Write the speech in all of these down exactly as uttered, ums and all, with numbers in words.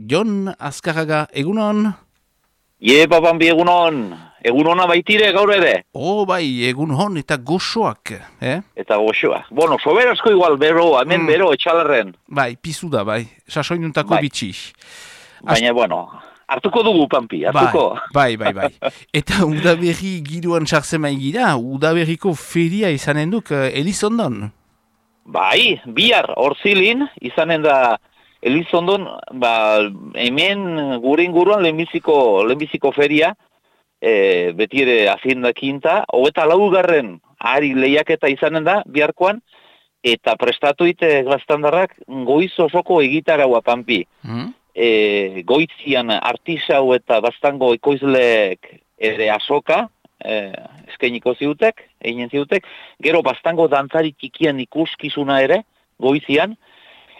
Jon Azkarraga, egunon? Ie, Pampi, egunon. Egunona baitire gaur ere. Oh, bai, egun hon eta goxoak, eh? Eta goxoa. Bueno, soberazko igual, bero, hemen Mm. bero, etxalarren. Bai, pizu da, bai, sasoinuntako Bai. bitxi. Baina, bueno, hartuko dugu, Pampi, hartuko. Bai, bai, bai, bai. Eta udaberri giroan sartzen gira, udaberriko feria izanen duk uh, Elizondon. Bai, bihar, horzilin, izanen da Elizondon, ba, hemen gure inguruan lehenbiziko, lehenbiziko feria, e, beti ere Hacienda Quinta, hogeta laugarren ari lehiaketa izanen da, biharkoan, eta prestatu ite gaztandarrak goiz osoko egitaraua, Pampi. Mm? E, goizian artisau eta bastango ekoizleek ere asoka, e, eskainiko ziutek, eginen ziutek, gero bastango dantzari txikian ikuskizuna ere, goizian,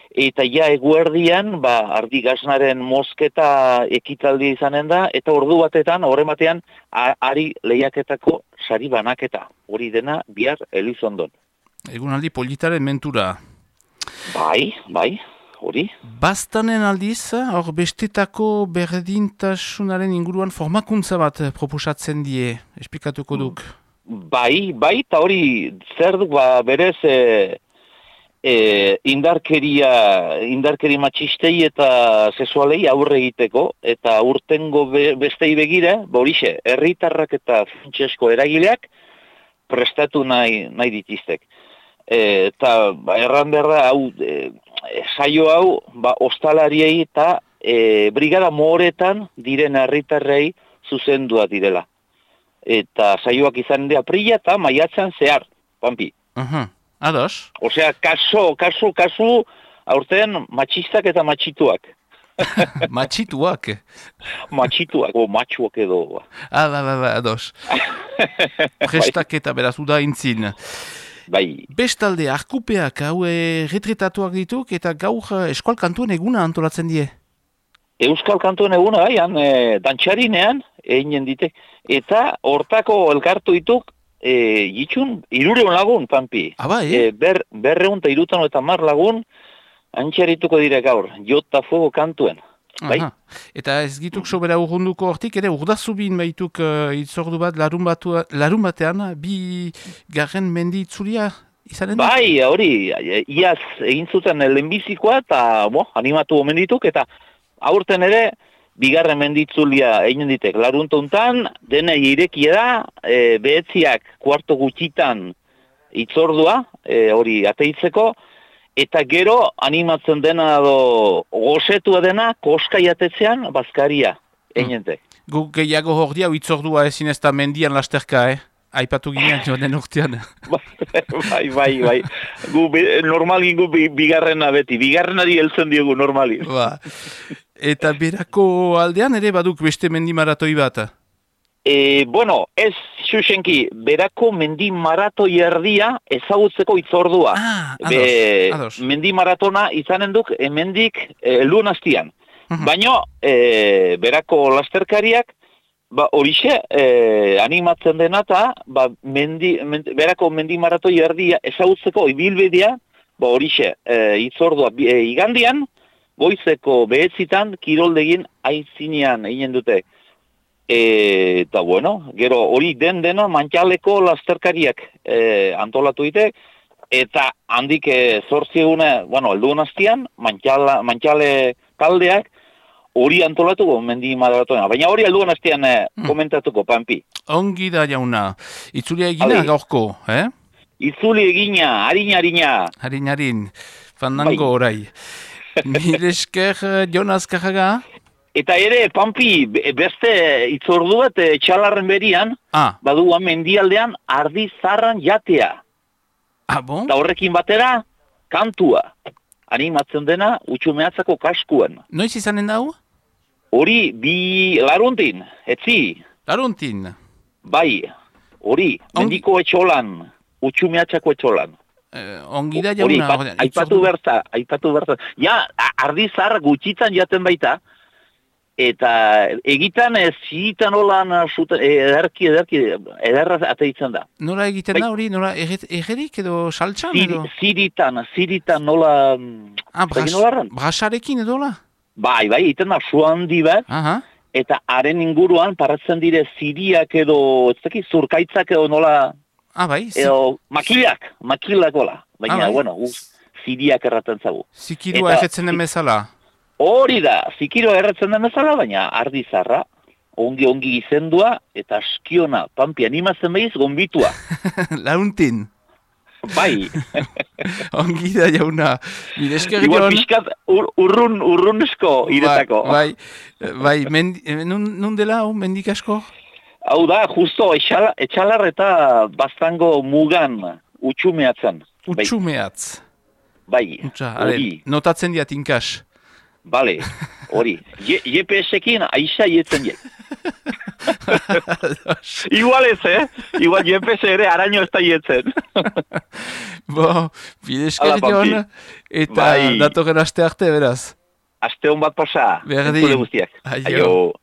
eta ja eguerdian, ba, ardi gaznaren mosketa ekitaldia izanen da, eta ordu batetan, horren batean, ari lehiaketako sari banaketa. Hori dena, bihar Elizondon. Egunaldi politaren mentura. Bai, bai, hori. Bastanen aldiz, hor bestetako berdintasunaren inguruan formakuntza bat proposatzen die, esplikatuko duk. Bai, bai, eta hori zer duk, ba, berez, e, e, indarkeria, indarkeri matxistei eta sexualei aurre egiteko, eta urtengo be, bestei begira, ba horixe, herritarrak eta funtsesko eragileak prestatu nahi, nahi ditiztek. E, eta ba, erran berra, hau, e, saio hau, ba, ostalariei eta e, brigada moretan diren herritarrei zuzendua direla. Eta saioak izan de aprila eta maiatzan zehar, Pampi. Aha, ados. Osea, kaso, kaso, kasu, aurten matxistak eta matxituak. Matxituak. Matxituak, o matxuak edo. Ah, ba, ba, ba, ados. Prestaketa beraz, uda intzin. Bai. Bestalde, arkupeak hau e, retretatuak dituk eta gaur e, eskual kantuen eguna antolatzen die. Euskal kantuen eguna, bai, han, e, dantxarinean, eginen ditek. Eta hortako elkartu dituk, e, jitxun, irureun lagun, Pampi. Ah, bai, E, ber, berreun eta irutan eta mar lagun, antxarituko dire gaur, jota fuego kantuen. Bai? Aha. Eta ez gituk sobera urrunduko hortik, ere urdazubin baituk uh, itzordu bat larun, batu, larun batean, bi garren mendi itzulia izanen da? Bai, hori, iaz egin zuten lehenbizikoa eta bo, animatu omen dituk, eta aurten ere, bigarren menditzulia egin ditek. Laruntuntan, dena irekia da, e, behetziak kuarto gutxitan itzordua, e, hori ateitzeko, eta gero animatzen dena do gozetua dena koskai atetzean bazkaria egin dute. Guk gehiago hor dia, itzordua ezin ez da mendian lasterka, eh? Aipatu ginean joan urtean. bai, bai, bai. Gu, normalin gu bigarrena beti, bigarrenari heltzen diogu normalin. Ba. Eta berako aldean ere baduk beste mendi maratoi bat? E, bueno, ez xuxenki, berako mendi maratoi erdia ezagutzeko itzordua. Ah, ados, Be, ados. Mendi maratona izanen duk hemendik e, luen hastian. Uh-huh. Baina, e, berako lasterkariak, ba, horixe, e, animatzen dena eta, ba, mendi, mendi, berako mendi maratoi erdia ezagutzeko ibilbidea, ba, horixe, e, itzordua e, igandian, goizeko behetzitan, kiroldegin aizinean egin dute. E, eta bueno, gero hori den dena mantxaleko lasterkariak e, antolatu dite, eta handik e, zortzi egune, bueno, elduen hastian, mantxale taldeak hori antolatuko mendi maratona. Baina hori elduen hastian e, komentatuko, Pampi. Ongi da jauna. Itzulia egina gaurko, eh? Itzuli egina, harina-harina. Harin-harin, fandango orai. Mire esker, Jon Azkarraga. Eta ere, Pampi, beste itzordu bat txalarren berian, ah. badua mendialdean ardi zarran jatea. Ah, bon? Eta horrekin batera, kantua. Animatzen dena, utxumeatzako kaskuan. Noiz izanen dau? Hori, bi laruntin, etzi. Laruntin? Bai, hori, mendiko etxolan, utxumeatzako etxolan. Eh, ongi da jauna. Hori, aipatu berta, aipatu berta. Ja, ardi zarra gutxitan jaten baita, eta egitan ez zitan holan ederki, ederki, ederra ateitzen da. Nola egiten da hori? Nola egerik edo saltxan edo? Ziritan, ziritan nola... Ah, brasarekin edo la? Bai, bai, iten da su handi bat, Aha. eta haren inguruan paratzen dire ziriak edo, ez dakit, zurkaitzak edo nola, Ah, bai, zi, edo makilak, makilak gola. Baina, Ah, bai. bueno, uz, ziriak erraten zagu. zikirua Eta- erretzen den bezala. Hori da, zikiro erratzen den bezala, baina ardi zarra, ongi-ongi izendua, eta askiona, pampi animatzen behiz, gombitua. Launtin. Bai, Ongi da jauna. Bidesker igual Jon. pixkat ur, urrun, urrunezko iretako. Bai, bai, bai mendi, nun, nun dela, hau, mendik asko? Hau da, justo, etxala, etxalar eta baztango mugan utxumeatzen. Bai, Utsumeatz. bai, Utsa, are, hori, notatzen diat inkas. bale, hori. G P S-ekin aixa ietzen jek. Igual ez, eh? Igual G P S ere araño ez da ietzen. Bo, bidesker Hala, Pampi. Jon, eta Bai. datorren aste arte, beraz. Aste hon bat pasa. Berdin. entzule guztiak. Aio. Aio.